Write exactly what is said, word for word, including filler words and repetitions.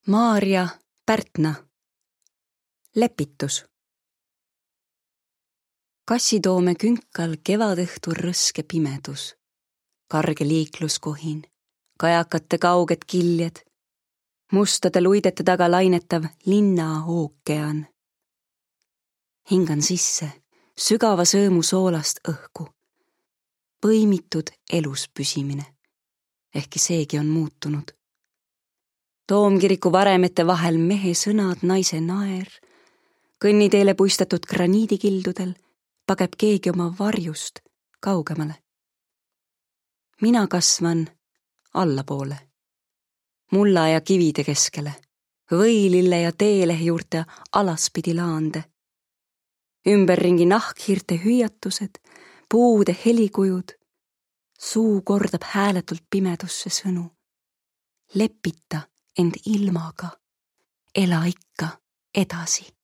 Maarja Pärtna. Lepitus. Kassitoome künkal kevadõhtu rõske pimedus, karge liikluskohin, kajakate kauged kiljed, mustade luidete taga lainetav linna ookean. Hingan sisse sügava sõõmu soolast õhku, põimitud elus püsimine, ehkki seegi on muutunud. Toomkiriku varemete vahel mehe sõnad, naise naer, kõnniteele puistatud graniidikildudel pageb keegi oma varjust kaugemale. Mina kasvan allapoole, mulla ja kivide keskele, võilille ja teelehe juurte alaspidi laande. Ümberringi nahkhirte hüüatused, puude helikujud, suu kordab hääletult pimedusse sõnu. Lepita end ilmaga, ela ikka edasi.